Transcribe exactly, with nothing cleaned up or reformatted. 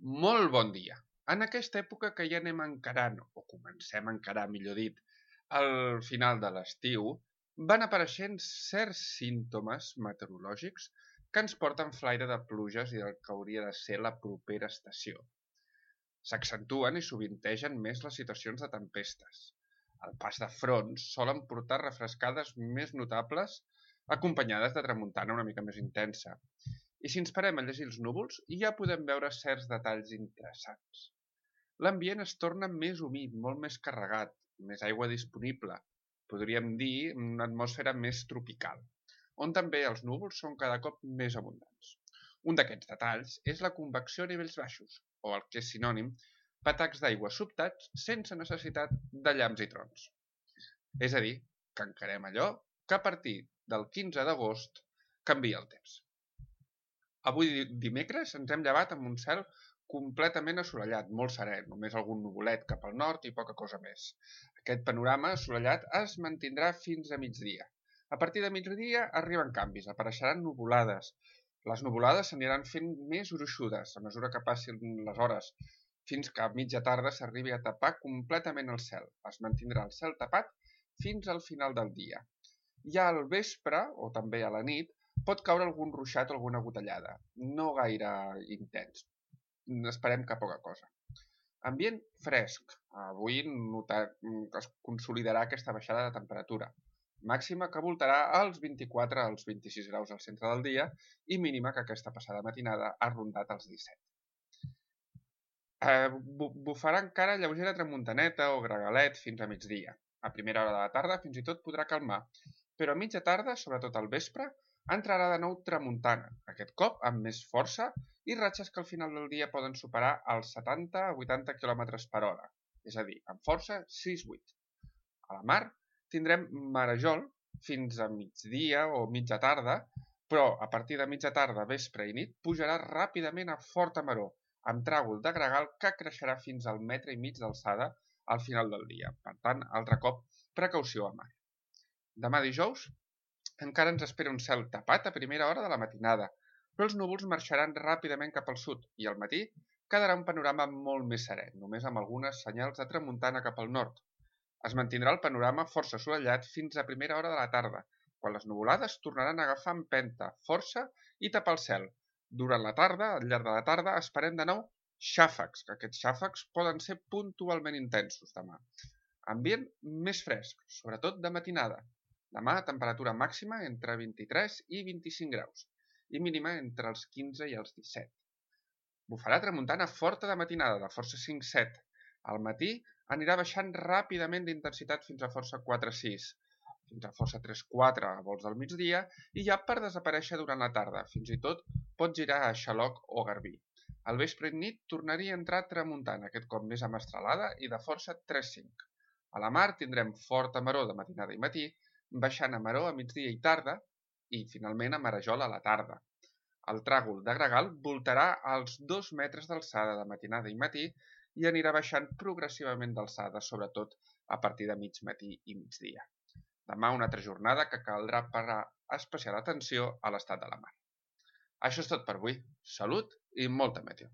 Molt bon dia. En aquesta època que ja anem encarant, o comencem a encarar, millor dit, al final de l'estiu, van apareixent certs símptomes meteorològics que ens porten flaire de pluges i del que hauria de ser la propera estació. S'accentuen i sovintegen més les situacions de tempestes. El pas de fronts solen portar refrescades més notables acompanyades de tramuntana una mica més intensa. I si ens parem a llegir els núvols, ja podem veure certs detalls interessants. L'ambient es torna més humit, molt més carregat, més aigua disponible, podríem dir una atmosfera més tropical, on també els núvols són cada cop més abundants. Un d'aquests detalls és la convecció a nivells baixos, o el que és sinònim, patacs d'aigua sobtats sense necessitat de llamps i trons. És a dir, que encarem allò que a partir del quinze d'agost canvia el temps. Avui dimecres ens hem llevat amb un cel completament assolellat, molt serè, només algun nuvolet cap al nord i poca cosa més. Aquest panorama assolellat es mantindrà fins a migdia. A partir de migdia arriben canvis, apareixeran nuvolades. Les nuvolades s'aniran fent més gruixudes a mesura que passin les hores, fins que a mitja tarda s'arribi a tapar completament el cel. Es mantindrà el cel tapat fins al final del dia. Ja al vespre, o també a la nit, pot caure algun ruixat o alguna gotellada, no gaire intens. Esperem que poca cosa. Ambient fresc. Avui notar, es consolidarà aquesta baixada de temperatura. Màxima que voltarà als vint-i-quatre als vint-i-sis graus al centre del dia i mínima que aquesta passada matinada ha rondat els disset. Eh, bufarà encara lleugera tramuntaneta o gregalet fins a migdia. A primera hora de la tarda fins i tot podrà calmar, però a mitja tarda, sobretot al vespre, entrarà de nou tramuntana, aquest cop amb més força i ratxes que al final del dia poden superar els setanta a vuitanta quilòmetres per hora, és a dir, amb força sis vuit. A la mar tindrem marejol fins a migdia o mitja tarda, però a partir de mitja tarda, vespre i nit pujarà ràpidament a forta maró, amb tràgol de gregal que creixerà fins al metre i mig d'alçada al final del dia. Per tant, altre cop, precaució a mar. Demà dijous encara ens espera un cel tapat a primera hora de la matinada, però els núvols marxaran ràpidament cap al sud i al matí quedarà un panorama molt més serè, només amb algunes senyals de tramuntana cap al nord. Es mantindrà el panorama força assolellat fins a primera hora de la tarda, quan les nuvolades tornaran a agafar empenta, força i tapar el cel. Durant la tarda, al llarg de la tarda, esperem de nou xàfecs, que aquests xàfecs poden ser puntualment intensos demà. Ambient més fresc, sobretot de matinada. Demà, temperatura màxima entre vint-i-tres i vint-i-cinc graus i mínima entre els quinze i els disset. Bufarà tramuntana forta de matinada, de força cinc set. Al matí anirà baixant ràpidament d'intensitat fins a força quatre sis, fins a força tres quatre a volts del migdia i ja per desaparèixer durant la tarda. Fins i tot pot girar a xaloc o garbí. Al vespre i nit tornaria a entrar tramuntana, aquest cop més amastralada i de força tres cinc. A la mar tindrem forta maror de matinada i matí, baixant a maror a migdia i tarda i, finalment, a marejol a la tarda. El tràgol de gregal voltarà als dos metres d'alçada de matinada i matí i anirà baixant progressivament d'alçada, sobretot a partir de mig matí i migdia. Demà una altra jornada que caldrà parar especial atenció a l'estat de la mar. Això és tot per avui. Salut i molta meteo.